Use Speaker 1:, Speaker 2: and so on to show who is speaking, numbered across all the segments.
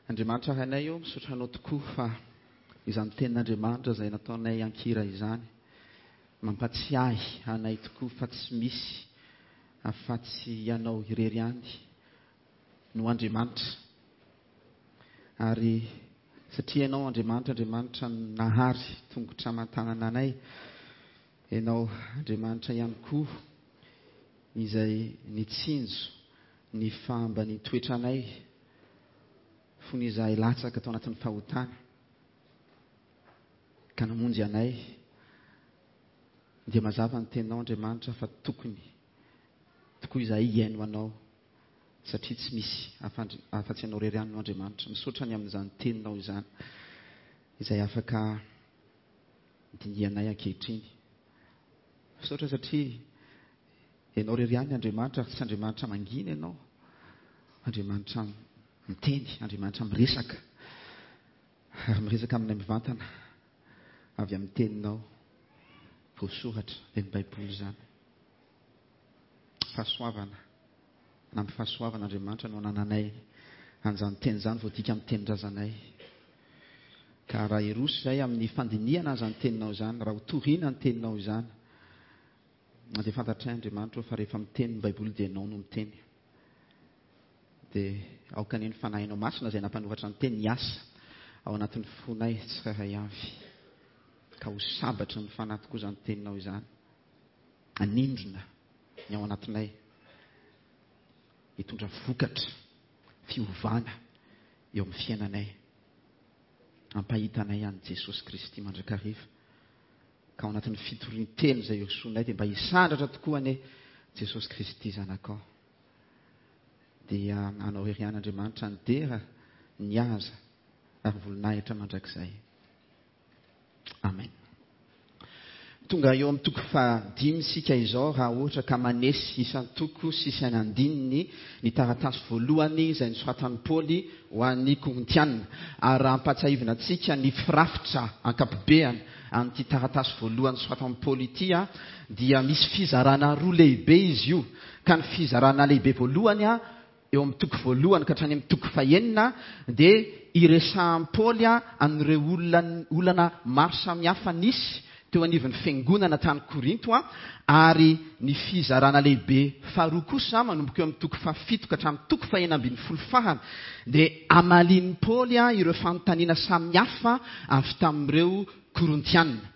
Speaker 1: Andriamanitra Rainay ô, misaotra Anao tokoa fa izany tenin'Andriamanitra izay nataonay an-kira izany mampatsiahy anay tokoa fa tsy misy afa-tsy Ianao irery ihany no Andriamanitra. Ary satria Ianao Andriamanitra, Andriamanitra nahary tongotra aman-tanana anay, Ianao Andriamanitra ihany koa izay nitsinjo ny fahambanian-toetranay fony izahay latsaka tao anatin'ny fahotana ka namonjy anay, dia mazava ny teninao Andriamanitra fa tokony tokoa izahay hihaino Anao satria tsy misy afa-tsy Ianao irery ihany no Andriamanitra. Misaotra ny amin'izany teninao izany izay afaka dinihanay ankehitriny. Misaotra satria Ianao irery ihany Andriamanitra ary tsy Andriamanitra mangina Ianao. Andriamanitra miteny, Andriamanitra miresaka ary miresaka aminay mivantana avy amin'ny teninao voasoratra dia ny Baiboly izany. Fahasoavana. Anampy fahasoavana Andriamanitra no anananay an'izany teny izany voadika amin'ny tenin-drazanay. Ka raha hiroso izay amin'ny fandinihana an'izany teninao izany, raha ho torina ny teninao izany, dia fantatray Andriamanitra fa rehefa miteny ny Baiboly dia Ianao no miteny. Dia aoka anie ny Fanahinao Masina izay nampanoratra ny teny hiasa ao anatin'ny fonay tsirairay avy. Ka ho sabatry ny fanahy tokoa izany teninao izany. Hanindrona ny ao anatinay. Hitondra vokatra, fiovana eo amin'ny fiainanay. Hampahita anay an'i Jesosy Kristy mandrakariva. Ka ao anatin'ny fitorian-teny izay hirosoanay dia mba hisandratra tokoa anie Jesosy Kristy Zanakao. Dia anao irery ihany Andriamanitra ny dera, ny haza ary voninahitra mandrakizay. Amen. Tonga eo amin'ny toko fahadimy isika izao raha ohatra ka manesy isan-toko sy isan'andininy ny taratasy voalohany izay nosoratan'i Paoly ho an'ny Korintiana. Ary raha ampahatsiahivina antsika ny firafitra ankapobeany an'ity taratasy voalohany nosoratan'i Paoly ity dia misy fizarana roa lehibe izy io. Ka ny fizarana lehibe voalohany eo amin'ny toko voalohany ka hatrany amin'ny toko fahenina dia iresahan'i Paoly an'ireo olona olana maro samihafa nisy teo anivon'ny fiangonana tany Korinto ary ny fizarana lehibe faharoa kosa manomboka eo amin'ny toko fahafito ka hatramin'ny toko fahenina ambin'ny folo farany dia amalian'i Paoly ireo fanontaniana samihafa avy tamin'ireo Korintiana.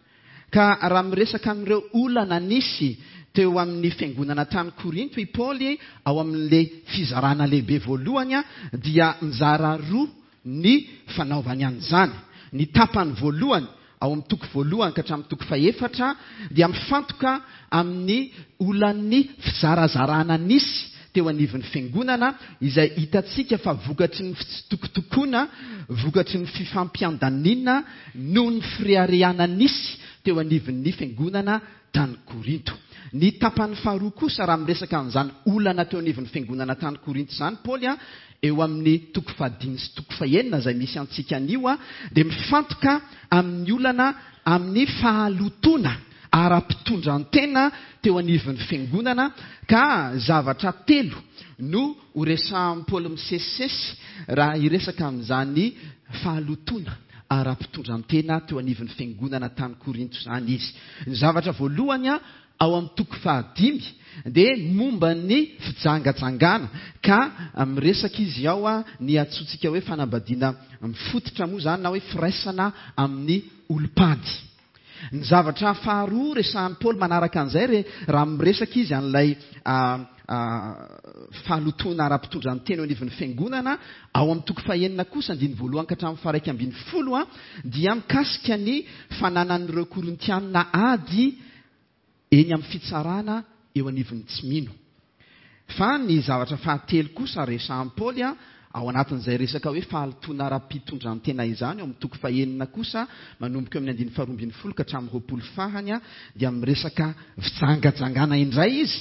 Speaker 1: Ka raha miresaka an'ireo olana nisy teo amin'ny fiangonana tany Korinto i Paoly ao amin'ilay fizarana lehibe voalohany dia mizara roa ny fanaovany an'izany. Ny tapany voalohany, ao amin'ny toko voalohany ka hatramin'ny toko fahefatra, dia mifantoka amin'ny olan'ny fizarazarana nisy teo anivon'ny fiangonana, izay hitantsika fa vokatry ny fitsitokotokoana, vokatry ny fifampiandaniana noho ny fireharehana nisy teo anivon'ny fiangonana tany Korinto. Ny tapany faharoa kosa, raha miresaka an'izany olana teo anivon'ny fiangonana tany Korinto izany Paoly, eo amin'ny toko fahadimy sy toko fahenina izay misy antsika anio, dia mifantoka amin'ny olana amin'ny fahalotoana ara-pitondran-tena teo anivon'ny fiangonana, ka zavatra telo no horesahan'i Paoly misesisesy raha hiresaka amin'izany fahalotoana ara-pitondran-tena teo anivon'ny fiangonana tany Korinto izany izy. Ny zavatra voalohany ao amin'ny toko fahadimy dia momba ny fijangajangana, ka miresaka izy ao ny antsointsika hoe fanambadiana mifototra moa izany na hoe firaisana amin'ny olom-pady. Ny zavatra faharoa resahan'i Paoly manaraka an'izay re, raha miresaka izy an'ilay fahalotoana ara-pitondran-tena eo anivon'ny fiangonana, ao amin'ny toko fahenina kosa, andininy voalohany ka hatramin'ny faha-iraika ambin'ny folo, dia mikasika ny fananan'ireo Korintiana ady eny amin'ny fitsarana eo anivon'ny tsy mino. Fa ny zavatra fahatelo kosa resahan'i Paoly ao anatin'izay resaka hoe fahalotoana ara-pitondran-tena izany, ao amin'ny toko fahenina kosa, manomboka eo amin'ny andininy faharoa ambin'ny folo ka hatramin'ny 20 farany, dia miresaka fijangajangana indray izy,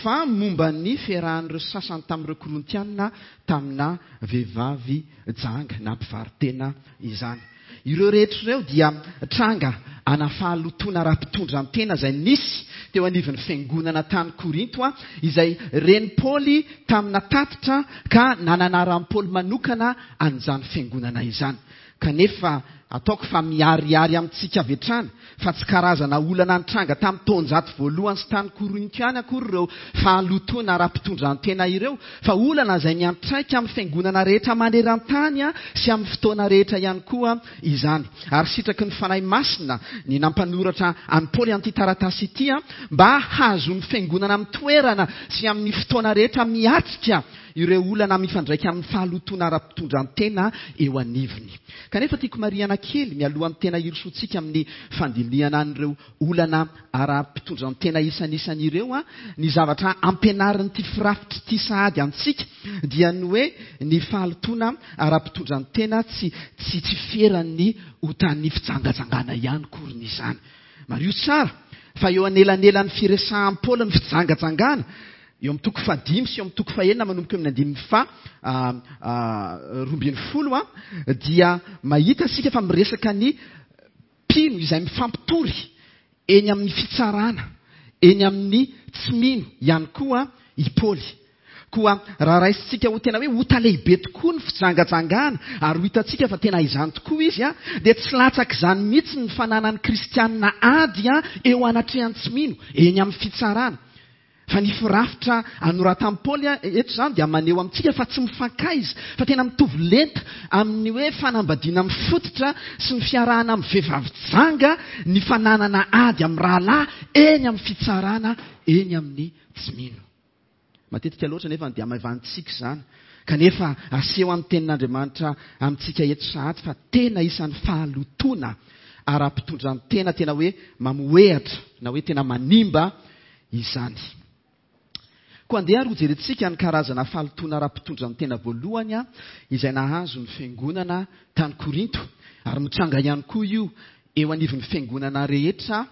Speaker 1: fa momba ny fiarahan'ireo sasany tamin'ireo Korintiana tamina vehivavy janga na mpivaro-tena izany. Ireo rehetra ireo dia tranga ana fahalotoana ara-pitondran-tena izay nisy teo anivon'ny fiangonana tany Korinto, izay ren'i Paoly tamina tatitra ka nananaran'i Paoly manokana an'izany fiangonana izany. Kanefa ataoko fa miharihary amintsika avy hatrany fa tsy karazana olana nitranga tamin'ny taonjato voalohany sy tany Korinto ihany akory ireo fahalotoana ara-pitondran-tena ireo, fa olana izay miantraika amin'ny fiangonana rehetra maneran-tany sy amin'ny fotoana rehetra ihany koa izany. Ary sitraky ny Fanahy Masina ny nampanoratra an'i Paoly an'ity taratasy ity mba hahazoan'ny fiangonana amin'ny toerana sy amin'ny fotoana rehetra miatrika ireo olana mifandraika amin'ny fahalotoana ara-pitondran-tena eo anivony. Kanefa tiako marihana kely mialohan'ny tena hirosoantsika amin'ny fandinihana an'ireo olana ara-pitondran-tena isanisany ireo, ny zavatra ampianarin'ity firafitra ity sahady antsika dia ny hoe ny fahalotoana ara-pitondran-tena tsy tsy tsy feran'ny otan'ny fijangajangana ihany koriny izany. Mariho tsara fa eo anelanelan'ny firesahan'i Paoly ny fijangajangana Eo amin'ny toko fahadimy sy eo amin'ny toko fahenina manomboka eo amin'ny andininy faha 12 dia mahita isika fa miresaka ny mpino izay mifampitory eny amin'ny fitsarana, eny amin'ny tsy mino ihany koa i Paoly. Koa raha raisintsika ho tena hoe ota lehibe tokoa ny fijangajangana ary ho hitantsika fa tena izany tokoa izy, dia tsy latsak'izany mihitsy ny fananan'ny kristianina ady eo anatrehan'ny tsy mino, eny amin'ny fitsarana. Fa ny firafitra anoratan'i Paoly eto izany dia maneho amintsika fa tsy mifankaiza, fa tena mitovy lenta amin'ny hoe fanambadiana mifototra sy ny fiarahana amin'ny vehivavy janga ny fananana ady amin'ny rahalahy eny amin'ny fitsarana eny amin'ny tsy mino. Matetika loatra anefa dia hamaivanintsika izany, kanefa aseho amin'ny Tenin'Andriamanitra amintsika eto sahady fa tena isan'ny fahalotoana ara-pitondran-tena tena hoe mamohehatra na hoe tena manimba izany. Koa andeha ary hojerentsika ny karazana fahalotoana ara-pitondran-tena voalohany izay nahazo ny fiangonana tany Korinto, ary mitranga ihany koa io eo anivon'ny fiangonana rehetra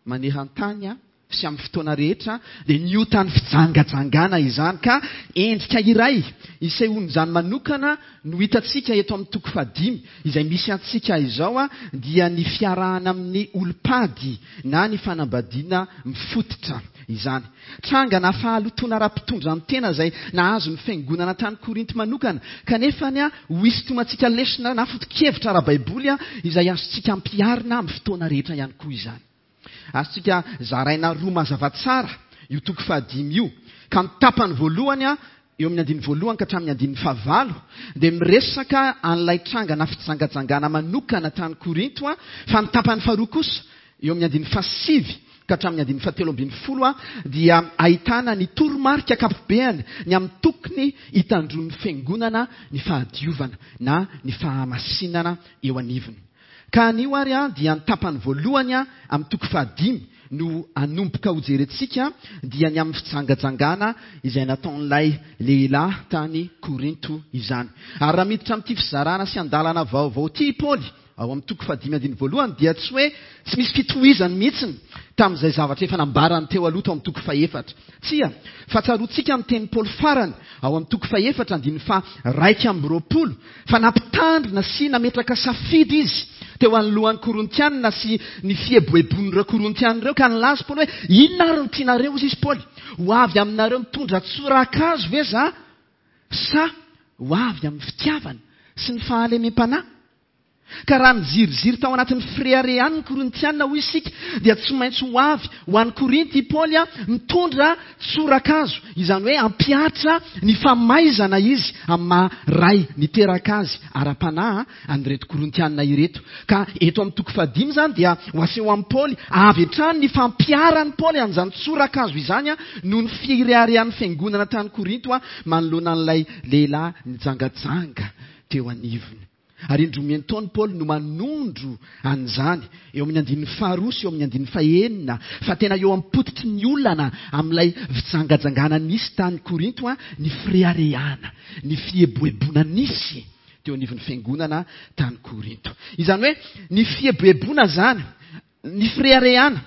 Speaker 1: maneran-tany sy amin'ny fotoana rehetra, dia ny otan'ny fijangajangana izany. Ka endrika iray isehoan'izany manokana no hitantsika eto amin'ny toko fahadimy izay misy antsika izao dia ny fiarahana amin'ny olom-pady na ny fanambadiana mifototra izany. Trangana fahalotoana ara-pitondran-tena izay nahazo ny fiangonana tany Korinto manokana, kanefa ny ho hisintomantsika lesona na foto-kevitra ara-baiboly izay azontsika ampiharina amin'ny fotoana rehetra ihany koa izany. Azontsika zaraina roa mazava tsara io toko fahadimy io, ka ny tapany voalohany eo amin'ny andininy voalohany ka hatramin'ny andininy fahavalo dia miresaka an'ilay trangana fijangajangana manokana tany Korinto, fa ny tapany faharoa kosa eo amin'ny andininy fahasivy ka hatramin'ny andininy fahatelo ambin'ny folo dia ahitana ny toromarika ankapobeany ny amin'ny tokony hitandroan'ny fiangonana ny fahadiovana na ny fahamasinana eo anivony. Ka anio ary dia ny tapany voalohany amin'ny toko fahadimy no hanomboka hojerentsika dia ny amin'ny fijangajangana izay nataon'ilay lehilahy tany Korinto izany. Ary raha miditra amin'ity fizarana sy andalana vaovao ity i Paoly ao amin'ny toko fahadimy andininy voalohany dia tsy hoe tsy misy fitohizany mihitsiny tamin'izay zavatra efa nambarany teo aloha tao amin'ny toko fahefatra. Tsia, fa tsaroantsika ny tenin'i Paoly farany ao amin'ny toko fahefatra andininy faha-21 fa nampitandrina sy nametraka safidy izy teo anoloan'ny Korintianina sy ny fieboeboan'ireo Korintianina ireo, ka nilaza Paoly hoe, Inona ary no tianareo, hozy izy Paoly, ho avy aminareo mitondra tsorakazo ve za, sa ho avy amin'ny fitiavana sy ny fahalemem-panahy? Ka raha niziriziry tao anatin'ny fireharehany ny Korintiana, hoy isika, dia tsy maintsy ho avy ho any Korinty i Paoly mitondra tsorakazo, izany hoe hampihatra ny famaizana izy amin'ny maha ray niteraka azy ara-panahy an'ireto Korintiana ireto. Ka eto amin'ny toko fahadimy izany dia ho aseho amin'i Paoly avy hatrany ny fampiharan'i Paoly an'izany tsorakazo izany noho ny fireharehan'ny fiangonana tany Korinto manoloana an'ilay lehilahy nijangajanga teo anivony. Ary indroa miantaona Paoly no manondro an'izany, eo amin'ny andininy faharoa sy eo amin'ny andininy fahenina, fa tena eo am-pototry ny olana amin'ilay fijangajangana nisy tany Korinto ny fireharehana, ny fieboeboana nisy teo anivon'ny fiangonana tany Korinto. Izany hoe ny fieboeboana izany, ny fireharehana,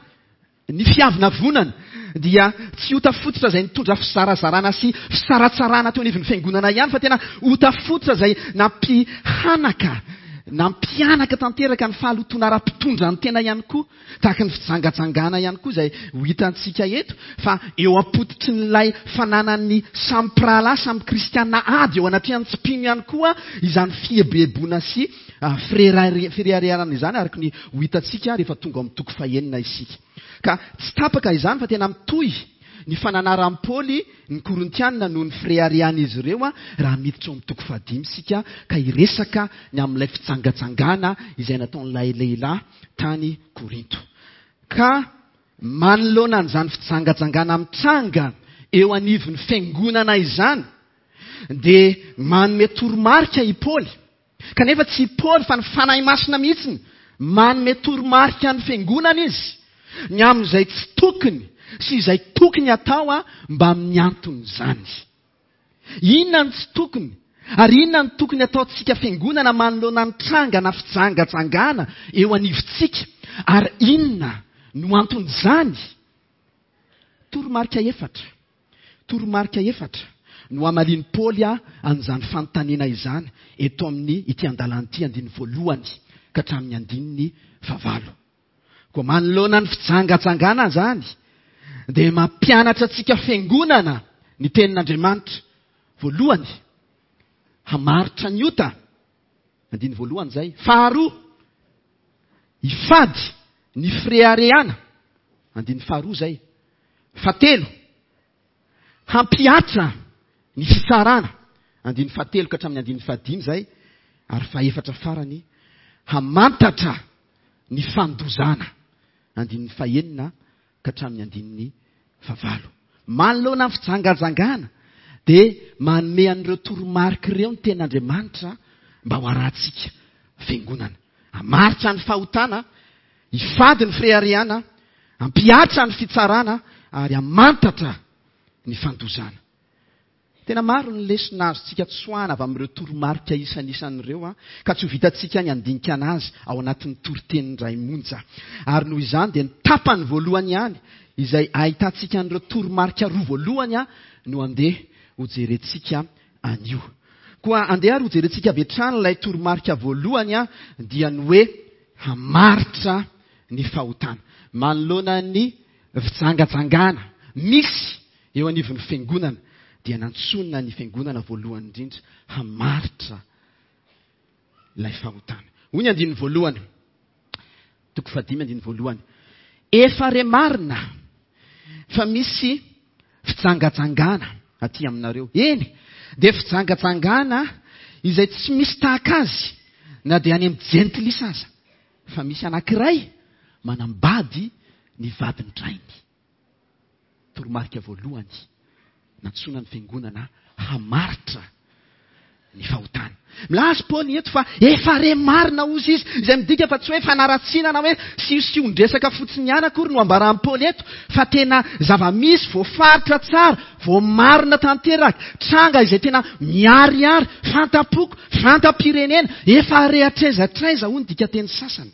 Speaker 1: Ny fiavonavonana dia tsy ota fototra izay nitondra fizarazarana sy fisaratsarahana teo anivon'ny fiangonana ihany fa tena ota fototra izay nampihanaka Nampihanaka tanteraka ny fahalotoana ara-pitondran-tena ihany koa, tahaka ny fijangajangana ihany koa izay ho hitantsika eto, fa eo am-pototrin'ilay fananan'ny samy mpirahalahy, samy kristiana ady eo anatrehan'ny tsy mpino ihany koa izany fieboeboana sy fireharehana izany, araka ny ho hitantsika rehefa tonga ao amin'ny toko fahenina isika. Ka tsy tapaka izany fa tena mitohy ny fananaran'i Paoly ny Korintiana noho ny fireharehan'izy ireo raha miditra ao amin'ny toko fahadimy isika ka hiresaka ny amin'ilay fijangajangana izay nataon'ilay lehilahy tany Korinto. Ka manoloana an'izany fijangajangana mitranga eo anivon'ny fiangonana izany dia manome toromarika i Paoly. Kanefa tsy i Paoly fa ny Fanahy Masina mihitsy manome toromarika ny fiangonana izy ny amin'izay tsy tokony sy izay tokony hatao mba amin'ny anton'izany. Inona no tsy tokony ary inona no tokony hataontsika fiangonana manoloana ny trangana fijangajangana eo anivontsika ary inona no anton'izany? Toromarika efatra. Toromarika efatra no hamalian'i Paoly an'izany fanontaniana izany eto amin'ny ity andalana ity, andininy voalohany ka hatramin'ny andininy fahavalo. Koa manoloana ny fijangajangana izany, dia mampianatra antsika fiangonana ny tenin'Andriamanitra. Voalohany, hamaritra ny ota. Andininy voalohany izay. Faharoa, hifady ny fireharehana. Andininy faharoa izay. Fahatelo, hampihatra ny fitsarana, andininy fahatelo ka hatramin'ny andininy fahadimy izay, ary fahefatra farany, hamantatra ny fandozana, andininy fahenina ka hatramin'ny andininy fahavalo. Manoloana ny fijangajangana dia manome an'ireo toromarika ireo ny tenin'Andriamanitra mba ho arahantsika fiangonana. Hamaritra ny fahotana, hifady ny fireharehana, hampihatra ny fitsarana ary hamantatra ny fandozana. Tena maro ny lesona azontsika tsoahana avy amin'ireo toromarika isanisany ireo, ka tsy ho vitantsika ny handinika anazy ao anatin'ny toriteny indray monja. Ary noho izany dia ny tapany voalohany ihany, izay ahitantsika an'ireo toromarika roa voalohany, no andeha hojerentsika anio. Koa andeha ary hojerentsika avy hatrany ilay toromarika voalohany, dia ny hoe hamaritra ny fahotana. Manoloana ny fijangajangana misy eo anivon'ny fiangonana, dia nantsoina ny fiangonana voalohany indrindra hamaritra ilay fahotana. Hoy ny andininy voalohany, toko fahadimy andininy voalohany, Efa re marina fa misy fijangajangana aty aminareo. Eny, dia fijangajangana izay tsy misy tahaka azy na dia any amin'ny jentilisa aza, fa misy anankiray manambady ny vadin-drainy. Toromarika voalohany nantsoina ny fiangonana hamaritra ny fahotana. Milaza Paoly eto fa efa re marina hozy izy, izay midika fa tsy hoe fanaratsiana na hoe siosion-dresaka fotsiny ihany akory no ambaran'i Paoly eto, fa tena zava-misy voafaritra tsara, voamarina tanteraka, tranga izay tena miharihary, fanta-poko, fanta-pirenena, efa re hatraiza hatraiza hoy ny dikanteny sasany.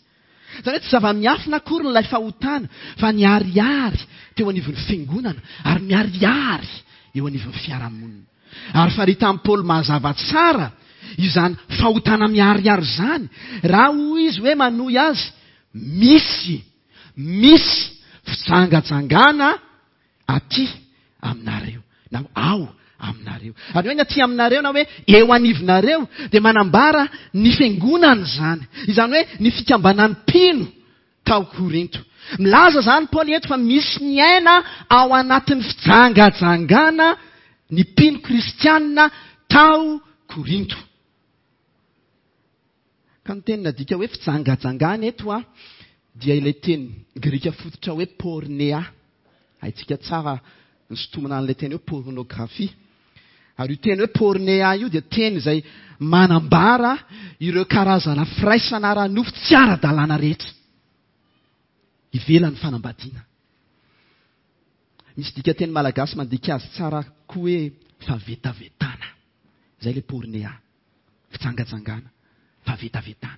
Speaker 1: Izany hoe tsy zava-miafina akory ilay fahotana fa niharihary teo anivon'ny fiangonana ary miharihary eo anivon'ny fiarahamonina. Ary faritan'i Paoly mazava tsara izany fahotana miharihary izany raha hoy izy hoe manohy azy, misy, misy fijangajangana aty aminareo, na ao aminareo. Ary hoe ny aty aminareo na hoe eo anivonareo dia manambara ny fiangonana izany. Izany hoe ny fikambanan'ny mpino tao Korinto. Milaza izany Paoly eto fa misy miaina ao anatin'ny fijangajangana ny mpino kristianina tao Korinto. Ka ny teny nadika hoe fijangajangana eto dia ilay teny grika fototra hoe pornea. Haintsika tsara ny sintomana an'ilay teny hoe pornographie. Ary io teny hoe pornea io dia teny izay manambara ireo karazana firaisana ara-nofo tsy ara-dalàna rehetra ivelan'ny fanambadiana. Misy dikanteny malagasy mandika azy tsara koa hoe fahavetavetana. Izay ilay pornea. fijangajangana, fahavetavetana.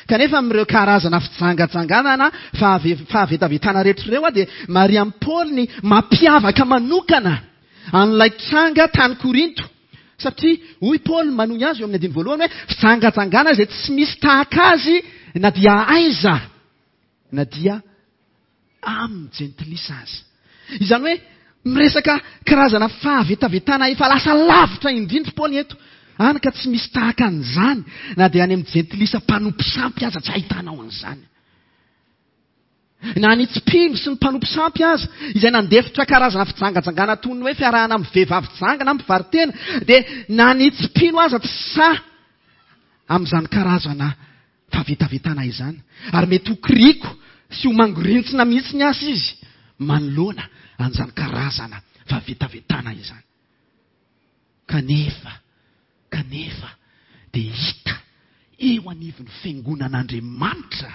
Speaker 1: Kanefa amin'ireo karazana fijangajangana na fahavetavetana rehetra ireo dia marihan'i Paoly ny mampiavaka manokana an'ilay tranga tany Korinto. Satria hoy Paoly manohy azy eo amin'ny andininy voalohany hoe fijangajangana izay tsy misy tahaka azy na dia aiza na dia amin'ny jentilisa aza. Izany hoe miresaka karazana fahavetavetana efa lasa lavitra indrindra Paoly eto. Hany ka tsy misy tahaka an'izany na dia any amin'ny jentilisa mpanompo sampy aza tsy ahitanao an'izany. Na ny tsy mpino sy ny mpanompo sampy aza, izay nandefitra karazana fijangajangana toy ny hoe fiarahana amin'ny vehivavy janga na mpivaro-tena, dia na ny tsy mpino aza tsy sahy amin'izany karazana fahavetavetana izany. Ary mety ho kiriko sy ho mangorintsina mihitsy ny aza izy manoloana an'izany karazana fahavetavetana izany. Kanefa, kanefa dia hita eo anivon'ny fiangonan'Andriamanitra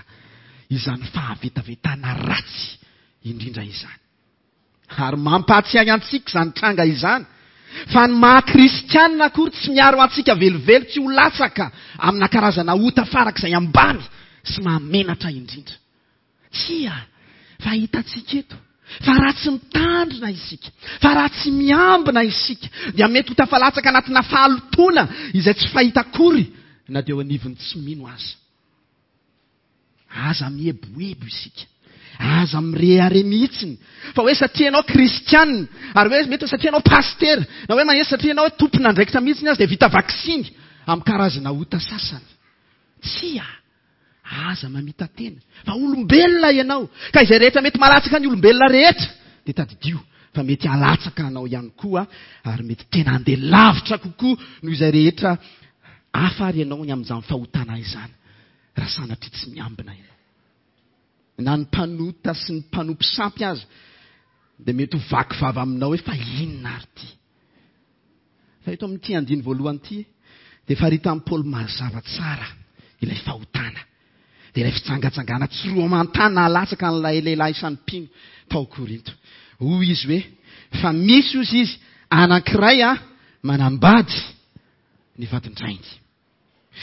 Speaker 1: izany fahavetavetana ratsy indrindra izany. Ary mampahatsiahy antsika izany tranga izany fa ny maha kristianina akory tsy miaro antsika velively tsy ho latsaka amina karazana ota farak'izay ambany sy mahamenatra indrindra. Tsia, fa hitantsika eto fa raha tsy mitandrina isika, fa raha tsy miambina isika, dia mety ho tafalatsaka anatina fahalotoana izay tsy fahita akory na dia eo anivon'ny tsy mino aza. Aza mieboebo isika. Aza mirehareha mihitsiny fa hoe satria ianao kristianina, ary hoe mety hoe satria ianao pasitera, na hoe mahetsy satria ianao hoe tompon'andraikitra mihitsiny aza dia vita vaksiny amin'ny karazana ota sasany. Tsia! Aza mamita-tena fa olombelona ianao, ka izay rehetra mety mahalatsaka ny olombelona rehetra dia tadidio fa mety halatsaka anao ihany koa ary mety tena handeha lavitra kokoa noho izay rehetra hafa ary ianao ny amin'izany fahotana izany raha sanatria tsy miambina ianao. Na ny mpanota sy ny mpanompo sampy aza dia mety ho vaky vava aminao hoe fa inona ary ity? Fa eto amin'ity andiny voalohany ity dia faritan'i Paoly mazava tsara ilay fahotana. Dia ilay fijangajangana tsy roa aman-tany nahalatsaka an'ilay lehilahy isan'ny mpino tao Korinto. Hoy izy hoe, fa misy hozy izy anankiray a manambady ny vadin-drainy.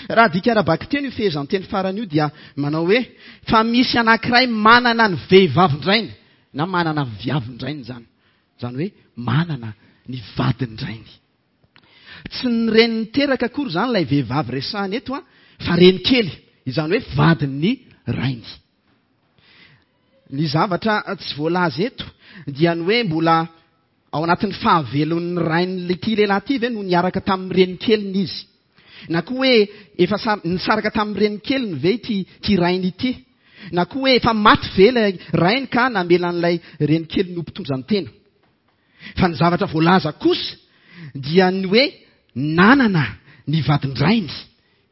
Speaker 1: Raha adika ara-bakiteny io fehezanteny farany io dia manao hoe, fa misy anankiray manana ny vehivavin-drainy, na manana ny viavin-drainy izany. Izany hoe manana ny vadin-drainy. Tsy ny reny niteraka akory izany ilay vehivavy resahina eto an, fa reny kely, izany hoe vadin'ny rainy. Ny zavatra tsy voalaza eto dia ny hoe mbola ao anatin'ny fahavelon'ny rain'ity lehilahy ity ve no niaraka tamin'ny renikeliny izy. Na koa hoe efa nisaraka tamin'ny renikeliny ve ity ity rainy ity. Na koa hoe efa maty ve ilay rainy ka namela an'ilay renikeliny ho mpitondra ny tena. Fa ny zavatra voalaza kosa dia ny hoe nanana ny vadin-drainy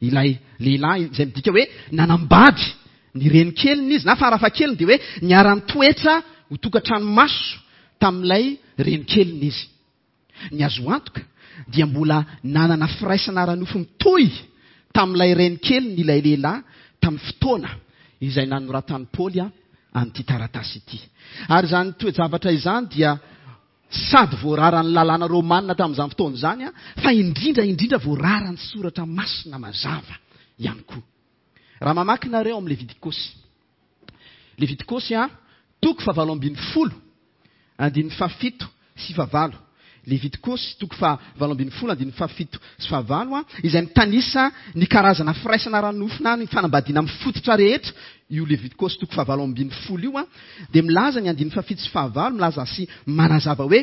Speaker 1: ilay lehilahy, izay midika hoe nanambady ny renikeliny izy, na farafahakeliny dia hoe niara-nitoetra ho tokantrano maso tamin'ilay renikeliny izy. Ny azo antoka dia mbola nanana firaisana ara-nofo mitohy tamin'ilay renikeliny ilay lehilahy tamin'ny fotoana izay nanoratan'i Paoly an'ity taratasy ity. Ary izany toe-javatra izany dia sady voararan'ny lalàna romana tamin'izany fotoana izany, fa indrindra indrindra voararan'ny soratra masina mazava ihany koa. Raha mamaky nareo amin'ny Levitikosy. Levitikosy a, toko fahavalo ambin'ny folo, andininy fahafito sy fahavalo. Levitikosy toko fahavalo ambin'ny folo, andininy fahafito sy fahavalo a, izay mitanisa ny karazana firaisana ara-nofo na ny fanambadiana mifototra rehetra, io Levitikosy toko fahavalo ambin'ny folo io a, dia milaza ny andininy fahafito sy fahavalo, milaza sy manazava hoe,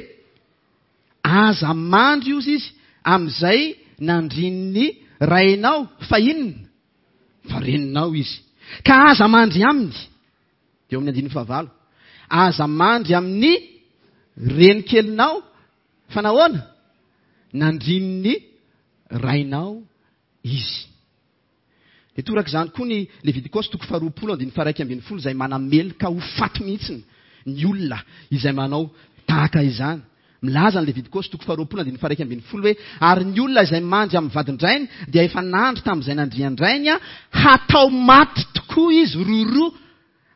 Speaker 1: aza mandry ozy izy amin'izay nandrin'ny rainao, fa inona? Fa reninao izy. Ka aza mandry aminy. Dia eo amin'ny andininy fahavalo. Aza mandry amin'ny renikelinao, fa nahoana? Nandrin'ny rainao izy. Dia toraka izany koa ny Levitikosy toko faharoapolo andininy faharaika ambin'ny folo izay manameloka ho faty mihitsy ny olona izay manao tahaka izany. Milaza ny Levitikosy toko faharoapolo andininy faharaika ambin'ny folo hoe, Ary ny olona izay mandry amin'ny vadin-drainy dia efa nandry tamin'izay nandrian-drainy, hatao maty tokoa izy roroa,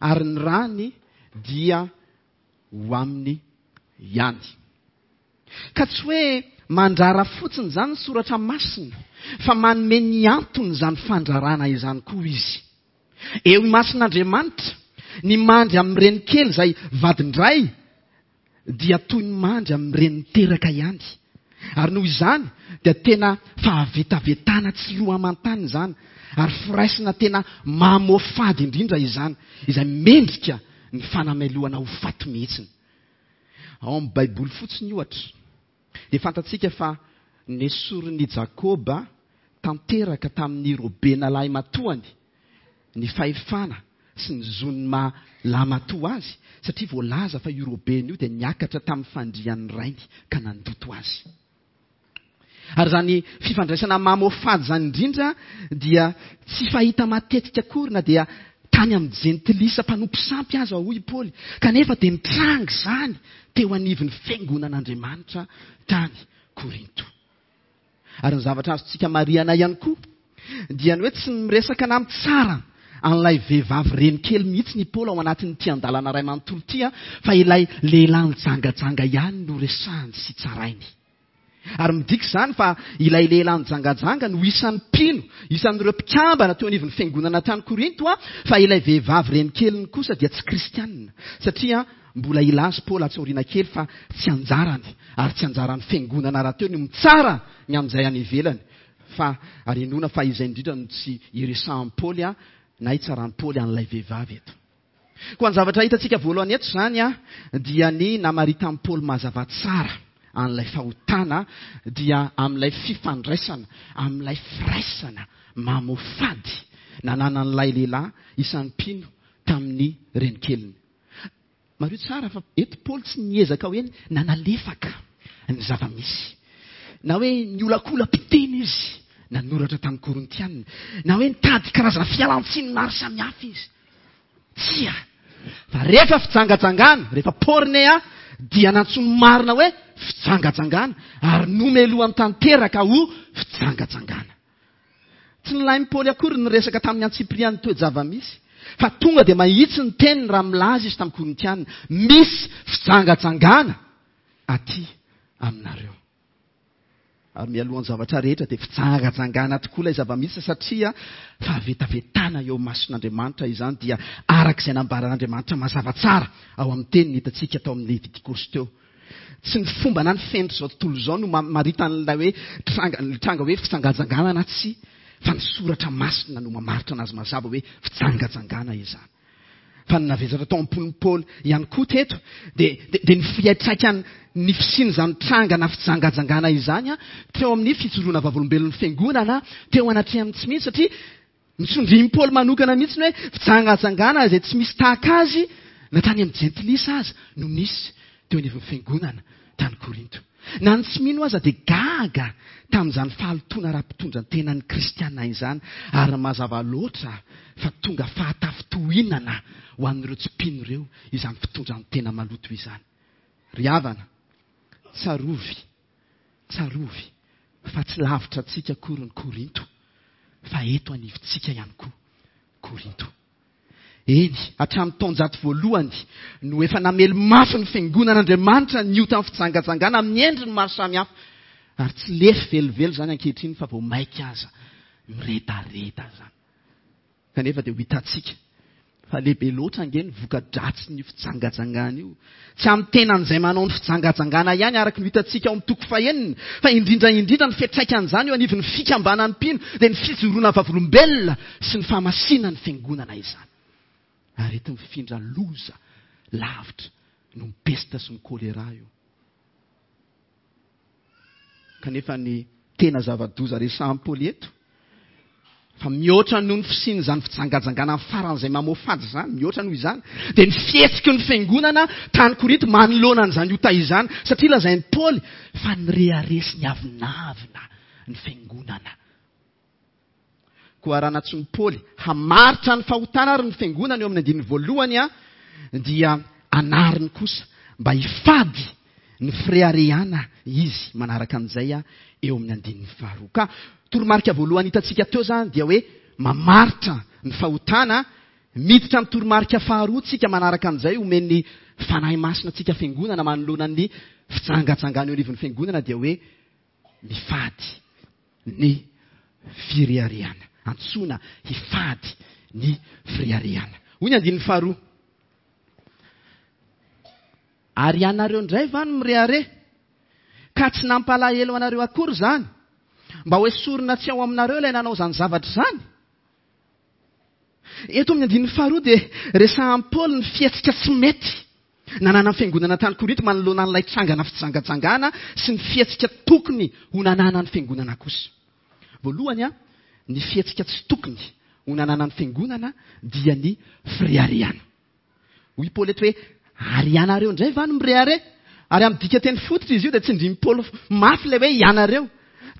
Speaker 1: ary ny rany dia ho aminy ihany. Ka tsy hoe mandrara fotsiny izany ny soratra masina, fa manome ny antony izany fandrarana izany koa izy. Eo imason'Andriamanitra, ny mandry amin'ny renikely izay vadin-dray dia toy ny mandry amin'ny reny niteraka ihany. Ary noho izany dia tena fahavetavetana tsy loha aman-tany izany, ary firaisana tena mamoafady indrindra izany, izay mendrika ny fanamelohana ho faty mihitsiny. Ao amin'ny Baiboly fotsiny, ohatra, dia fantatsika fa nesorin'i Jakoba tanteraka tamin'i Robena lahimatoany ny fahefana sy ny zon'ny maha lahimatoa azy, satria voalaza fa io Robena io dia niakatra tamin'ny fandrian'ny rainy ka nandoto azy. Ary izany fifandraisana mamoafady izany indrindra dia tsy fahita matetika akory na dia tany amin'ny jentilisa mpanompo sampy aza, hoy i Paoly, kanefa dia nitranga izany teo anivon'ny fiangonan'Andriamanitra tany Korinto. Ary ny zavatra azontsika marihana ihany koa dia ny hoe tsy miresaka na mitsara an'ilay vehivavy renikely mihitsy i Paoly ao anatin'ity andalana iray manontolo ity, fa ilay lehilahy nijangajanga ihany no resahany sy tsarainy. Ary midika izany fa ilay lehilahy nijangajanga no isan'ny mpino, isan'ireo mpikambana teo anivon'ny fiangonana tany Korinto, fa ilay vehivavy renikeliny kosa dia tsy kristianina, satria mbola hilaza Paoly atsy aoriana kely fa tsy anjarany ary tsy anjaran'ny fiangonana rahateo ny mitsara ny amin'izay any ivelany, fa ary inoana fa izay indrindra no tsy iresahan'i Paoly na itsaran'i Paoly an'ilay vehivavy eto. Koa ny zavatra hitantsika voalohany eto izany dia ny namaritan'i Paoly mazava tsara an'ilay fahotana dia amin'ilay fifandraisana, amin'ilay firaisana mamoafady nananan'ilay lehilahy isan'ny mpino tamin'ny renikeliny. Mariho tsara fa eto Paoly tsy niezaka hoe nanalefaka ny zava-misy, na hoe niolakola-piteny izy nanoratra tamin'ny Korintiana, na hoe nitady karazana fialan-tsiny maro samihafa izy. Tsia! Fa rehefa fijangajangana, rehefa pornea, dia nantsoiny marina hoe fijangajangana, ary nomelohany tanteraka ho fijangajangana. Tsy nilain'i Paoly akory ny niresaka tamin'ny antsipirian'ny toe-java-misy, fa tonga dia mahitsy ny teniny raha milaza izy tamin'ny Korintiana, Misy fijangajangana aty aminareo. Ary mialohan'ny zavatra rehetra dia fijangajangana tokoa ilay zava-misy satria fahavetavetana eo imason'Andriamanitra izany dia araka izay nambaran'Andriamanitra mazava tsara ao amin'ny teniny hitantsika tao amin'ny Levitikosy teo. Tsy ny fomba na ny fenitr'izao tontolo izao no mamarita an'ilay hoe tranga, ny tranga hoe fijangajangana na tsia, fa ny soratra masina no mamaritra anazy mazava hoe fijangajangana izany. Fa ny navesatra tao am-pon'i Paoly ihany koa teto dia, dia ny fiantraikan'ny ny fisian'izany tranga na fijangajangana izany teo amin'ny fijoroana vavolombelon'ny fiangonana teo anatrehan'ny tsy mino, satria Notsindrian'i Paoly manokana mihitsy ny hoe fijangajangana izay tsy misy tahaka azy na tany amin'ny jentilisa aza no nisy teo anivon'ny fiangonana tany Korinto. Na ny tsy mino aza dia gaga tamin'izany fahalotoana ara-pitondran-tenan'ny kristiana izany ary mazava loatra fa tonga fahatafintohinana ho an'ireo tsy mpino ireo izany fitondran-tena maloto izany. Ry havana, tsarovy Tsarovy fa tsy lavitra antsika akory ny Korinto, fa eto anivontsika ihany koa Korinto. Eny, hatramin'ny taonjato voalohany no efa namely mafy ny Fiangonan'Andriamanitra ny otan'ny fijangajangana amin'ny endriny maro samihafa, ary tsy lefy velively izany ankehitriny fa vao mainka aza miredareda izany. Kanefa dia ho hitantsika fa lehibe loatra ange ny voka-dratsin'io fijangajangana io. Tsy amin'ny tenan'izay manao ny fijangajangana ihany araka ny ho hitantsika ao amin'ny toko fahenina, fa indrindra indrindra ny fiantraikan'izany eo anivon'ny fikambanan'ny mpino, dia ny fijoroana vavolombelona sy ny fahamasinan'ny fiangonana izany. Areti-mifindra loza lavitra noho ny pesta sy ny kolera io. Kanefa ny tena zava-doza resahan'i Paoly eto, fa mihoatra noho ny fisian'izany fijangajangana faran'izay mamoafady izany, mihoatra noho izany, dia ny fihetsiky ny fiangonana tany Korinto manoloana an'izany ota izany, satria lazain'i Paoly fa nirehareha sy niavonavona ny fiangonana. Koa raha nantsoin'i Paoly hamaritra ny fahotana ary ny fiangonana eo amin'ny andininy voalohany, dia anariny kosa mba hifady ny fireharehana izy manaraka an'izay eo amin'ny andininy faharoa. Ka toromarika voalohany hitantsika teo izany dia hoe mamaritra ny fahotana, miditra amin'ny toromarika faharoa tsika manaraka an'izay omen'ny Fanahy Masina antsika fiangonana manoloana ny fijangajangana eo anivon'ny fiangonana dia hoe mifady ny fireharehana. Antsoina hifady ny fireharehana. Hoy ny andininy faharoa. Ary ianareo indray va no mirehareha? Ka tsy nampalahelo anareo akory izany? Mba hoesorina tsy ao aminareo ilay nanao izany zavatra izany? Eto amin'ny andininy faharoa dia resahan'i Paoly ny fihetsika tsy mety nananan'ny fiangonana tany Korinto manoloana an'ilay trangana fijangajangana sy ny fihetsika tokony ho nananan'ny fiangonana kosa. Voalohany, ny fihetsika tsy tokony ho nananan'ny fiangonana dia ny fireharehana. Hoy i Paoly eto hoe, Ary ianareo indray va no mirehareha? Ary amin'ny dikanteny fototra izy io dia tsindrin'i Paoly mafy ilay hoe ianareo.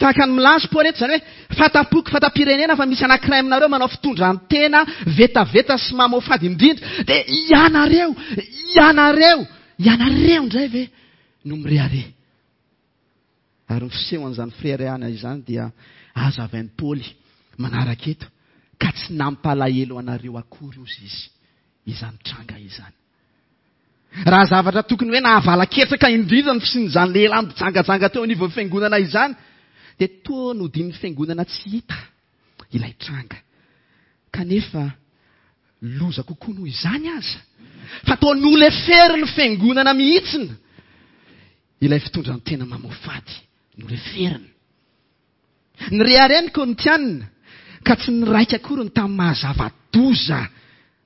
Speaker 1: Tahaka ny milaza i Paoly eto izany hoe, Fanta-poko, fanta-pirenena fa misy anankiray aminareo manao fitondran-tena vetaveta sy mamoafady indrindra. Dia ianareo, ianareo, ianareo indray ve no mirehareha? Ary ny fisehon'izany fireharehana izany dia hazavain'i Paoly manaraka eto, ka tsy nampalahelo anareo akory, hozy izy, izany tranga izany. Raha zavatra tokony hoe nahavalaketraka indrindra ny fisian'izany lehilahy mpijangajanga teo anivon'ny fiangonana izany, dia toa nodian'ny fiangonana tsy hita ilay tranga. Kanefa loza kokoa noho izany aza, fa toa noleferin'ny fiangonana mihitsy Ilay fitondran-tena mamoafady noleferina. Nirehareha ny Korintiana ka tsy niraika akory ny tamin'ny maha zava-doza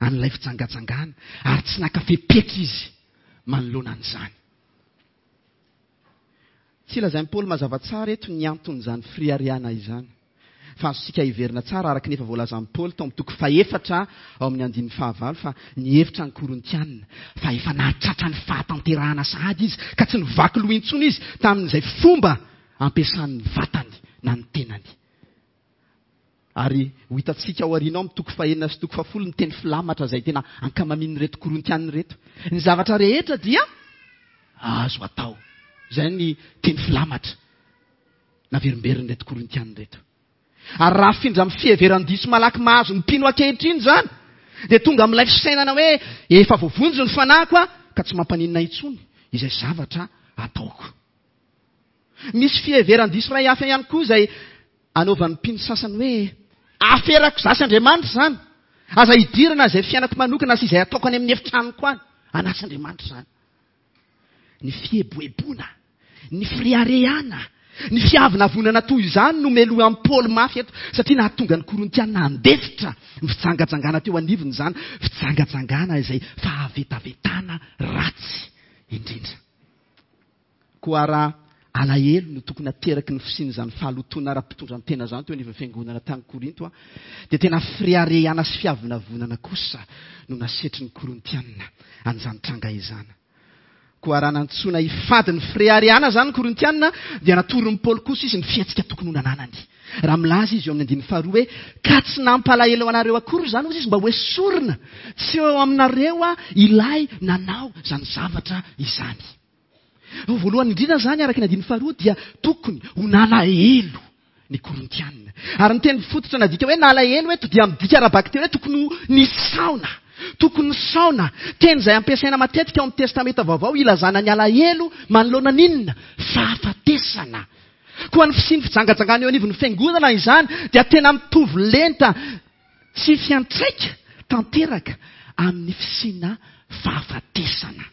Speaker 1: an'ilay fijangajangana ary tsy naka fepetra izy manoloana an'izany. Tsy lazain'i Paoly mazava tsara eto ny anton'izany fireharehana izany. Fa azontsika heverina tsara araka ny efa voalazan'i Paoly tao amin'ny toko fahefatra ao amin'ny andininy fahavalo fa nihevitra ny Korintiana fa efa nahatratra ny fahatanterahana sahady izy ka tsy nivaky loha intsony izy tamin'izay fomba ampiasany ny vatany na ny tenany. Ary ho hitantsika ao aoriana ao amin'ny toko fahenina sy toko fahafolo ny teny filamatra izay tena ankamamin'ireto Korintiana ireto. Ny zavatra rehetra dia azo atao. Izay ny teny filamatra. naverimberin'ireto Korintiana ireto. Ary raha afindra amin'ny fiheveran-diso malaky mahazo ny mpino ankehitriny izany, dia tonga amin'ilay fisainana hoe efa voavonjy ny fanahiko aho ka tsy mampaninona intsony izay zavatra ataoko. Misy fiheveran-diso iray hafa ihany koa izay anaovan'ny mpino sasany hoe aferako izaho sy Andriamanitra izany. Aza idirana izay fiainako manokana sy izay ataoko any amin'ny efitranoko any. An'ahy sy Andriamanitra izany. Ny fieboeboana, ny fireharehana, ny fiavonavonana toy izany no melohan'i Paoly mafy eto, satria nahatonga ny Korintiana handefitra ny fijangajangana teo anivony izany, fijangajangana izay fahavetavetana ratsy indrindra. Koa raha alahelo no tokony hateraky ny fisian'izany fahalotoana ara-pitondran-tena izany teo anivon'ny fiangonana tany Korinto, dia tena fireharehana sy fiavonavonana kosa no nasetrin'ny Korintiana an'izany tranga izany. Koa raha nantsoina hifady ny fireharehana izany ny Korintiana, dia natoron'i Paoly kosa izy ny fihetsika tokony ho nananany. Raha milaza izy eo amin'ny andininy faharoa hoe, Ka tsy nampalahelo anareo akory izany, hoy izy, mba hoesorina tsy eo aminareo ilay nanao izany zavatra izany. Voalohany indrindra izany, araka ny andininy faharoa, dia tokony ho nalahelo ny Korintiana. Ary ny teny fototra nadika hoe nalahelo eto dia midika ara-bakiteny hoe tokony ho nisaona. Tokony nisaona. Teny izay ampiasaina matetika ao amin'ny Testamenta Vaovao ilazana ny alahelo manoloana ny inona? Fahafatesana. Koa ny fisian'ny fijangajangana eo anivon'ny fiangonana izany dia tena mitovy lenta sy fiantraika tanteraka amin'ny fisiana fahafatesana.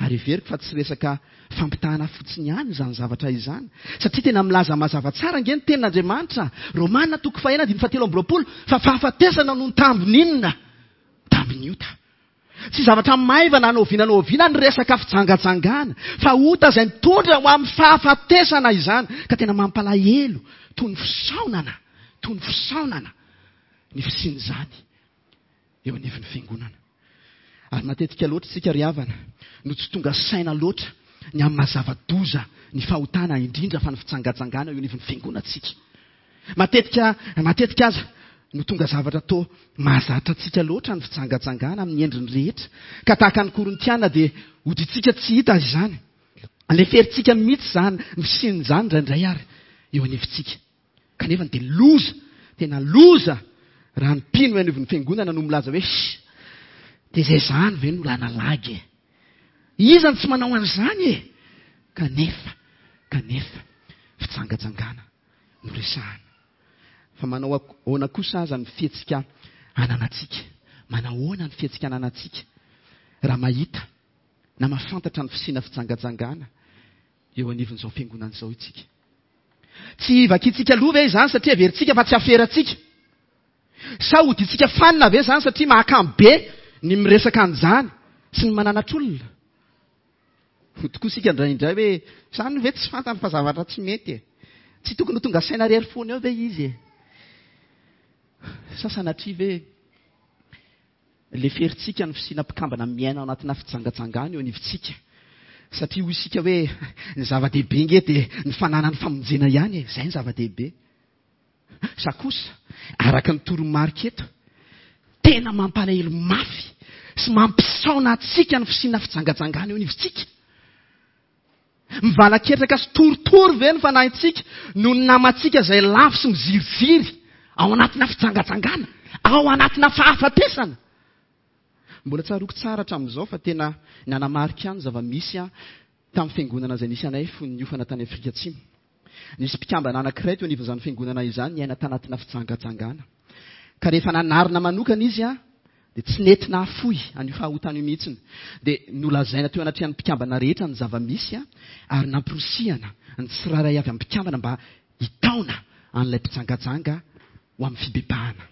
Speaker 1: Ary heveriko fa tsy resaka fampitahana fotsiny ihany izany zavatra izany, satria tena milaza mazava tsara ange ny Tenin'Andriamanitra, Romana toko fahenina andininy fahatelo amby roapolo, fa fahafatesana no tambin'inona? Tambin'ny ota. Tsy zavatra maivana na oviana na oviana ny resaka fijangajangana, fa ota izay mitondra ho amin'ny fahafatesana izany, ka tena mampalahelo toy ny fisaonana, toy ny fisaonana ny fisian'izany eo anivon'ny fiangonana. Ary matetika loatra isika ry havana no tsy tonga saina loatra ny amin'ny maha zava-doza ny fahotana indrindra fa ny fijangajangana eo anivon'ny fiangonantsika. Matetika, matetika aza no tonga zavatra toa mahazatra antsika loatra ny fijangajangana amin'ny endriny rehetra ka tahaka ny Korintiana dia hodintsika tsy hita izany. Leferintsika mihitsy izany, ny fisian'izany indraindray ary eo anivontsika. Kanefa dia loza, tena loza raha ny mpino eo anivon'ny fiangonana no milaza hoe sh, dia izay izany ve no lana lagy e? Iza no tsy manao an'izany e? Kanefa, kanefa, fijangajangana no resahana. Fa manao ahoana kosa aza ny fihetsika ananantsika? Manao ahoana ny fihetsika ananantsika raha mahita na mahafantatra ny fisiana fijangajangana eo anivon'izao fiangonana izao isika? Tsy vakintsika loha ve izany satria heverintsika fa tsy aferantsika? Sa hodintsika fanina ve izany satria mahakamo be ny miresaka an'izany sy ny mananatr'olona? Ho tokoa isika indraindray hoe, izany ve tsy fantany fa zavatra tsy mety e? Tsy tokony ho tonga saina rery foana eo ve izy e? Sa sanatria ve leferintsika ny fisiana mpikambana miaina ao anatina fijangajangana eo anivontsika? Satria hoy isika hoe ny zava-dehibe nge dia ny fananany famonjena ihany e, izay ny zava-dehibe. Sa kosa, araka ny toromarika eto, tena mampalahelo mafy sy mampisaona antsika ny fisiana fijangajangana eo anivontsika? Mivalaketraka sy torotoro ve ny fanahintsika noho ny namantsika izay lavo sy miziriziry ao anatina fijangajangana, ao anatina fahafatesana? Mbola tsaroako tsara hatramin'izao fa tena nanamarika ahy ny zava-misy tamin'ny fiangonana izay nisy anay fony niofana tany Afrika Atsimo. Nisy mpikambana anankiray teo anivon'izany fiangonana izany niaina tanatina fijangajangana. Ka rehefa nanarina manokana izy dia tsy nety nahafoy an'io fahotana io mihitsiny. Dia nolazaina teo anatrehan'ny mpikambana rehetra ny zava-misy ary namporisihana ny tsirairay avy amin'ny mpikambana mba hitaona an'ilay mpijangajanga ho amin'ny fibebahana.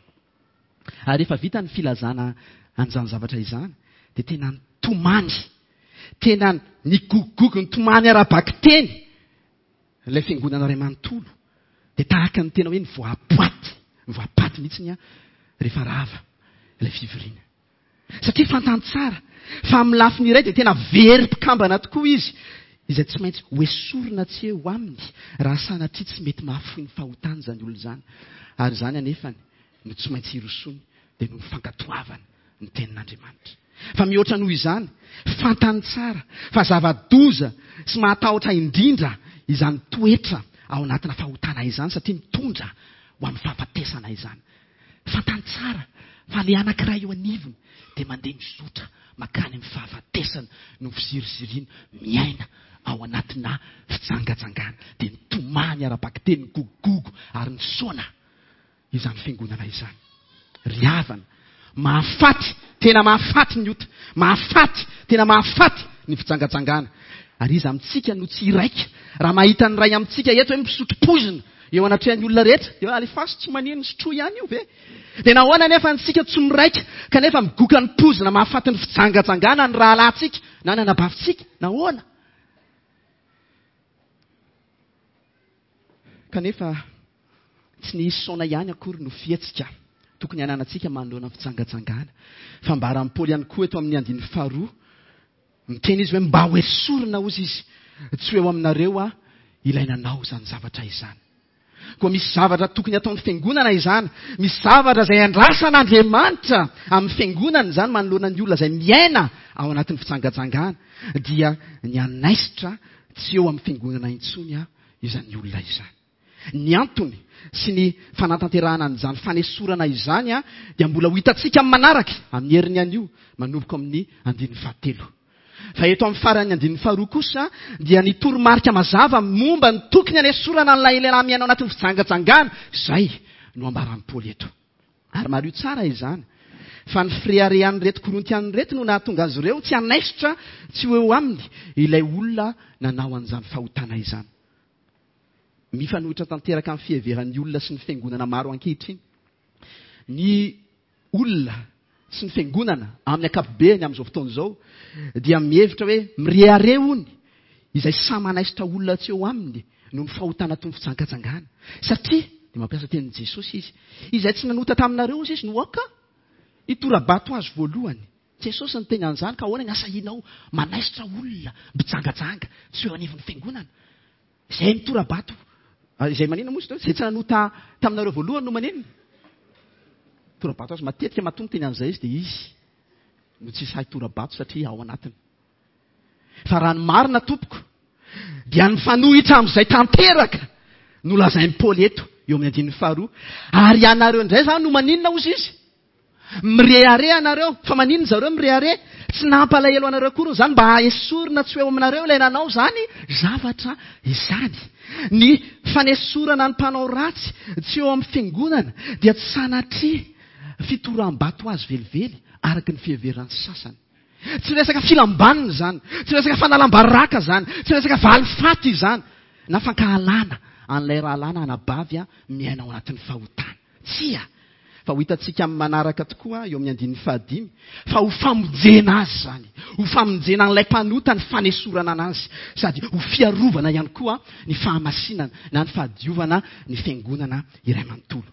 Speaker 1: Ary rehefa vita ny filazana an'izany zavatra izany dia tena nitomany, tena nigogogogo nitomany ara-bakiteny ilay fiangonana iray manontolo. Dia tahaka ny tena hoe nivoaboaty, nivoapaty mihitsy ny rehefa rava ilay fivoriana. Satria fantany tsara fa amin'ny lafiny iray dia tena very mpikambana tokoa izy, izay tsy maintsy hoesorina tsy eo aminy raha sanatria tsy mety mahafoy ny fahotany izany olona izany. Ary izany anefany no tsy maintsy hirosoany dia noho ny fankatoavany ny tenin'Andriamanitra. Fa mihoatra noho izany, fantany tsara fa zava-doza sy mahatahotra indrindra izany toetra ao anatina fahotana izany satria mitondra ho amin'ny fahafatesana izany. Fantany tsara fa ilay anankiray eo anivony dia mandeha mizotra mankany amin'ny fahafatesana noho ny fiziriziriany miaina ao anatina fijangajangana. Dia nitomany ara-bakiteny, nigogogogo ary nisaona izany fiangonana izany. Ry havana, mahafaty, tena mahafaty ny ota, mahafaty, tena mahafaty ny fijangajangana. Ary iza amintsika no tsy hiraika raha mahita ny iray amintsika eto hoe misotro poizina eo anatrehan'ny olona rehetra? Dia hoe alefaso tsy manino, sotroy ihany io ve? Dia nahoana anefa antsika tsy miraika kanefa migoka ny poizina mahafaty ny fijangajangana ny rahalahintsika na ny anabavintsika? Nahoana? Kanefa tsy ny hisaona ihany akory no fihetsika tokony hananantsika manoloana ny fijangajangana. Fa ambaran'i Paoly ihany koa eto amin'ny andininy faharoa, miteny izy hoe mba ho esorina hozy izy, tsy ho eo aminareo aho ilay nanao izany zavatra izany. Koa misy zavatra tokony hataon'ny fiangonana izany, misy zavatra izay andrasan'Andriamanitra amin'ny fiangonana izany manoloana ny olona izay miaina ao anatin'ny fijangajangana, dia ny hanaisotra tsy eo amin'ny fiangonana intsony aho izany olona izany. Ny antony sy ny fanatanterahana an'izany fanesorana izany dia mbola ho hitantsika amin'ny manaraka, amin'ny heriny anio, manomboka amin'ny andininy fahatelo. Fa eto amin'ny faran'ny andininy faharoa kosa dia ny toromarika mazava momba ny tokony hanesorana an'ilay lehilahy miaina ao anatin'ny fijangajangana, izay no ambaran'i Paoly eto. Ary mariho tsara izany, fa ny fireharehan'ireto Korintiana ireto no nahatonga azy ireo tsy hanaisotra tsy ho eo aminy ilay olona nanao an'izany fahotana izany. Mifanohitra tanteraka amin'ny fiheveran'ny olona sy ny fiangonana maro ankehitriny. Ny olona sy ny fiangonana amin'ny ankapobeny amin'izao fotoana izao dia mihevitra hoe mirehareha hono izay samy manaisotra olona tsy eo aminy noho ny fahotana toy ny fijangajangana. Satria, dia mampiasa tenin'i Jesosy izy, izay tsy nanota taminareo hozy izy no aoka hitora-bato azy voalohany. Jesosy niteny an'izany ka ahoana ny asahianao manaisotra olona mpijangajanga tsy eo anivon'ny fiangonana? Izay mitora-bato, izay maninona moa izy teo? Izay tsy nanota taminareo voalohany no maninona? Tora-bato azy. Matetika matoa miteny an'izay izy dia izy no tsy sahy tora-bato satria ao anatiny. Fa raha ny marina tompoko dia ny mifanohitra amin'izay tanteraka no lazain'i Paoly eto eo amin'ny andininy faharoa. Ary ianareo indray izany no maninona hozy izy? Mirehareha ianareo. Fa maninona zareo mirehareha? Tsy nampalahelo anareo akory izany mba haesorina tsy ho eo aminareo ilay nanao izany zavatra izany. Ny fanesorana ny mpanao ratsy tsy eo amin'ny fiangonana dia tsy sanatria fitoram-bato azy velively araka ny fiheveran'ny sasany. Tsy resaka filam-banina izany, tsy resaka fanalam-baraka izany, tsy resaka valifaty izany, na fankahalana. an'ilay rahalahy na anabavy miaina ao anatin'ny fahotana. Tsia! Fa ho hitantsika amin'ny manaraka tokoa eo amin'ny andininy fahadimy fa ho famonjena azy izany, ho famonjena an'ilay mpanota ny fanesorana anazy, sady ho fiarovana ihany koa ny fahamasinana na ny fahadiovana ny fiangonana iray manontolo.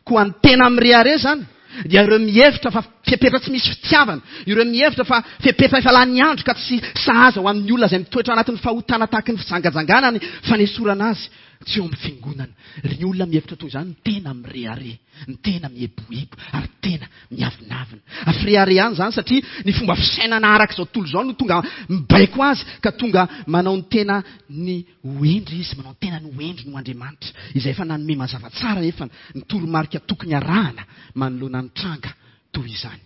Speaker 1: Koa ny tena mirehareha izany dia ireo mihevitra fa fepetra tsy misy fitiavana, ireo mihevitra fa fepetra efa lany andro ka tsy sahaza ho an'ny olona izay mitoetra anatin'ny fahotana tahaky ny fijangajangana ny fanesorana azy tsy eo amin'ny fiangonana. Ry olona mihevitra toy izany no tena mirehareha, ny tena mieboebo ary tena miavonavona. Fireharehana izany satria ny fomba fisainana araka izao tontolo izao no tonga mibaiko azy ka tonga manao ny tena ny ho hendry izy, manao ny tenany ho hendry noho Andriamanitra, izay efa nanome mazava tsara nefa ny toromarika tokony arahana manoloana ny tranga toy izany.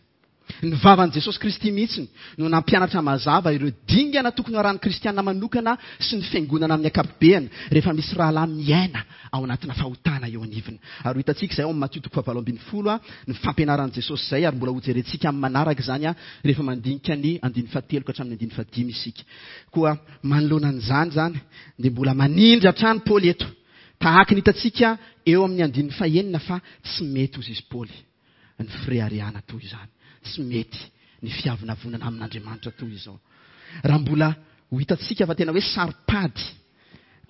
Speaker 1: Ny vavan'i Jesosy Kristy mihitsy no nampianatra mazava ireo dingana tokony ho arahan'ny kristiana manokana sy ny fiangonana amin'ny ankapobeany rehefa misy rahalahy miaina ao anatina fahotana eo anivony. Ary ho hitantsika izay ao amin'ny Matio toko fahavalo ambinifolo ny fampianaran'i Jesosy izay ary mbola hojerentsika amin'ny manaraka izany rehefa mandinika ny andininy fahatelo ka hatramin'ny andininy fahadimy isika. Koa manoloana an'izany izany dia mbola manindry hatrany Paoly eto tahaka ny hitantsika eo amin'ny andininy fahenina fa tsy mety hozy izy Paoly ny fireharehana toy izany. Tsy mety ny fiavonavonana amin'Andriamanitra toy izao. Raha mbola ho hitantsika fa tena hoe saro-pady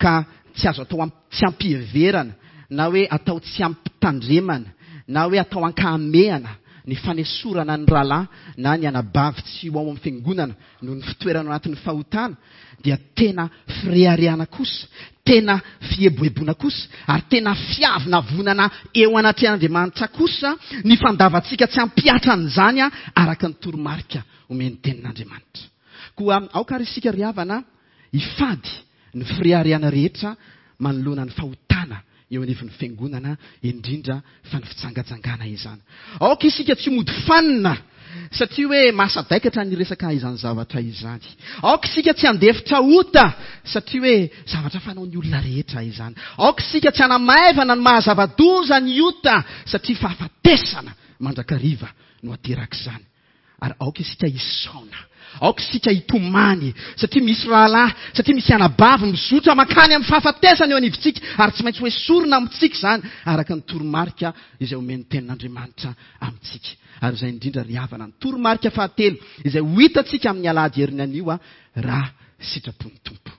Speaker 1: ka tsy azo atao tsy ampiheverana na hoe atao tsy ampitandremana na hoe atao ankahamehana ny fanesorana ny rahalahy na ny anabavy tsy ho ao amin'ny fiangonana noho ny fitoerana ao anatin'ny fahotana dia tena fireharehana kosa, tena fieboeboana kosa, ary tena fiavonavonana eo anatrehan'Andriamanitra kosa ny fandavantsika tsy hampihatra an'izany araka ny toromarika omen'ny Tenin'Andriamanitra. Koa aoka àry isika ry havana hifady ny fireharehana rehetra manoloana ny fahotana eo anivon'ny fiangonana, indrindra fa ny fijangajangana izany. Aoka isika tsy mody fanina satria hoe mahasadaikatra ny resaka izany zavatra izany. Aoka isika tsy handefitra ota satria hoe zavatra fanaon'ny olona rehetra izany. Aoka isika tsy hanamaivana ny maha-zava-doza ny ota satria fahafatesana mandrakariva no aterak'izany. Ary aoka isika hisaona. Aoka isika hitomany, satria misy rahalahy, satria misy anabavy mizotra mankany amin'ny fahafatesana eo anivontsika, ary tsy maintsy hoesorina amintsika izany, araka ny toromarika izay omen'ny Tenin'Andriamanitra amintsika. Ary izay indrindra, ry havana, ny toromarika fahatelo izay ho hitantsika amin'ny alahady heriny anio, raha sitrapon'ny Tompo.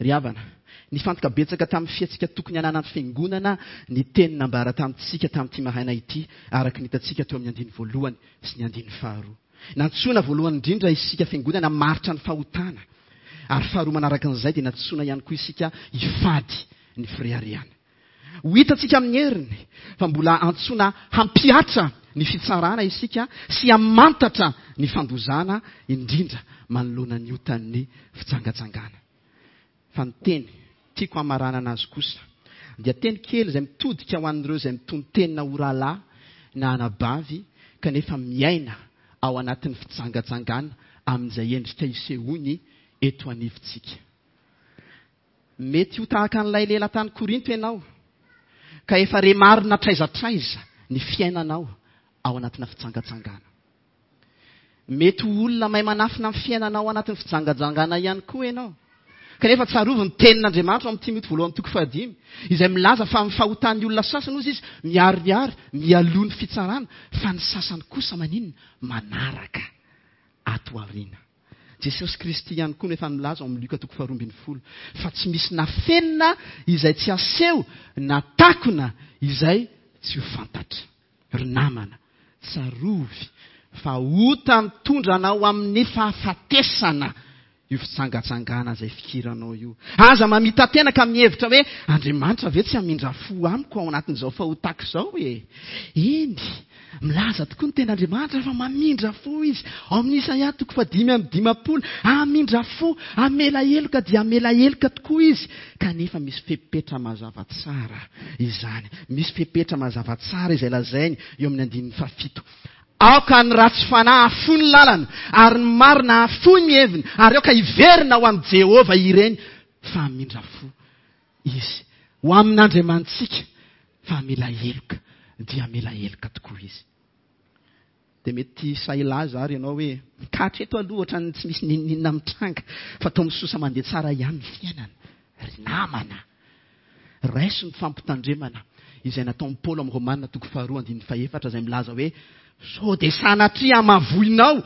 Speaker 1: Ry havana, nifantoka betsaka tamin'ny fihetsika tokony hananan'ny Fiangonana ny teny nambara tamintsika tamin'ity maraina ity, araka ny hitantsika teo amin'ny andininy voalohany sy ny andininy faharoa. Nantsoina voalohany indrindra isika Fiangonana hamaritra ny fahotana, ary faharoa manaraka an'izay dia nantsoina ihany koa isika hifady ny fireharehana. Ho hitantsika amin'ny heriny fa mbola antsoina hampihatra ny fitsarana isika sy hamantatra ny fandozana indrindra manoloana ny otan'ny fijangajangana. Fa ny teny tiako hamaranana azy kosa dia teny kely izay mitodika ho an'ireo izay mitonon-tenina ho rahalahy na anabavy kanefa miaina ao anatin'ny fijangajangana amin'izay endrika isehoany eto anivontsika. Mety ho tahaka an'ilay lehilahy tany Korinto ianao, ka efa re marina hatraiza hatraiza ny fiainanao ao anatina fijangajangana. Mety ho olona mahay manafina ny fiainanao ao anatin'ny fijangajangana ihany koa ianao. Kanefa tsarovy ny tenin'Andriamanitra ao amin'ny Timoty voalohany toko fahadimy, izay milaza fa amin'ny fahotan'ny olona sasany hozy izy miharihary mialoha ny fitsarana, fa ny sasany kosa maninona? Manaraka ato aoriana. Jesosy Kristy ihany koa no efa nilaza ao amin'ny Lioka toko faharoa ambin'ny folo fa tsy misy nafenina izay tsy aseho na takona izay tsy ho fantatra. Ry namana, tsarovy fa ota mitondra anao amin'ny fahafatesana io fijangajangana izay fikiranao io. Aza mamita-tena ka mihevitra hoe Andriamanitra ve tsy hamindra fo amiko ao anatin'izao fahotako izao e? Eny, Milaza tokoa ny Tenin'Andriamanitra fa mamindra fo Izy. Ao amin'ny Isaia toko fahadimy amby dimampolo, hamindra fo, hamela heloka dia hamela heloka tokoa Izy. Kanefa misy fepetra mazava tsara izany. Misy fepetra mazava tsara izay lazainy eo amin'ny andininy fahafito. Aoka ny ratsy fanahy hahafoy ny lalana, ary ny marina hahafoy ny heviny, ary aoka hiverina ho amin'i Jehovah ireny, fa hamindra fo Izy. Ho amin'Andriamanitsika, fa hamela heloka, dia hamela heloka tokoa Izy. Dia mety sahy hilaza ary ianao hoe, ka hatreto aloha ohatran'ny tsy misy n'inon'inona mitranga, fa toa misosa mandeha tsara ihany ny fiainana. Ry namana, raiso ny fampitandremana izay nataon'i Paoly amin'ny Romana toko faharoa andininy fahefatra izay milaza hoe, Sao dia sanatria hamavoinao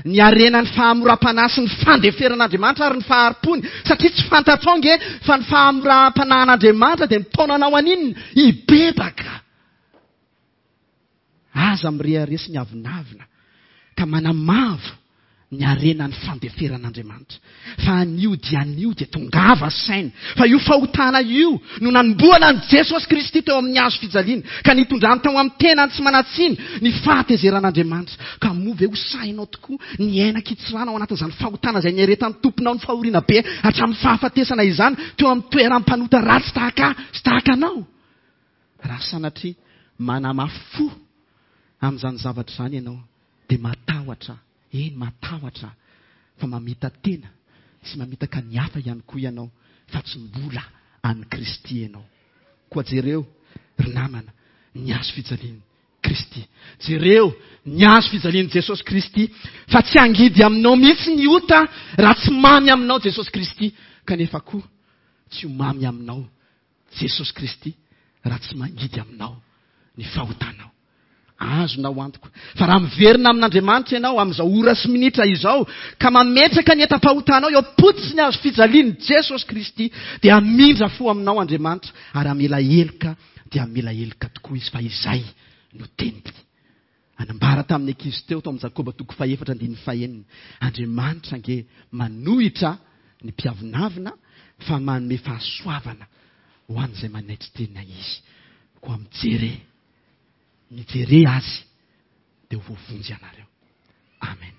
Speaker 1: ny harenan'ny fahamoram-panahy sy ny fandeferan'Andriamanitra ary ny fahari-pony, satria tsy fantatrao ange fa ny fahamoram-panahin'Andriamanitra dia mitaona anao haninona? Hibebaka. Aza mirehareha sy miavonavona ka manamavo ny harenan'ny fandeferan'Andriamanitra. Fa anio dia anio dia tongava saina fa io fahotana io no nanombohana an'i Jesosy Kristy teo amin'ny hazo fijaliana ka nitondrany tao amin'ny tenany tsy manan-tsiny ny fahatezeran'Andriamanitra. Ka moa ve ho sahinao tokoa ny hiaina an-kitsirano ao anatin'izany fahotana izay niaretan'ny Tomponao ny fahoriana be hatramin'ny fahafatesana izany teo amin'ny toeram-panota ratsy tahaka ahy sy tahaka anao? Raha sanatria manamafy fo amin'izany zavatra izany ianao dia matahotra, eny matahotra fa mamita-tena sy mamitaka ny hafa ihany koa ianao fa tsy mbola an'i Kristy ianao. Koa jereo ry namana ny hazo fijalian'i Kristy. Jereo ny hazo fijalian'i Jesosy Kristy fa tsy hangidy aminao mihitsy ny ota raha tsy mamy aminao Jesosy Kristy kanefa koa tsy ho mamy aminao Jesosy Kristy raha tsy mangidy aminao ny fahotanao. Azonao antoka fa raha miverina amin'Andriamanitra ianao amin'izao ora sy minitra izao ka mametraka ny entam-pahotanao eo am-pototry ny hazo fijalian'i Jesosy Kristy dia hamindra fo aminao Andriamanitra ary hamela heloka dia hamela heloka tokoa Izy fa izay no teniny. Anambara tamin'ny ankizy teo tao amin'ny Jakoba toko fahefatra andininy fahenina, Andriamanitra ange manohitra ny mpiavonavona fa manome fahasoavana ho an'izay manaitry tena Izy. Koa mijere, mijere Azy dia ho voavonjy ianareo. Amen.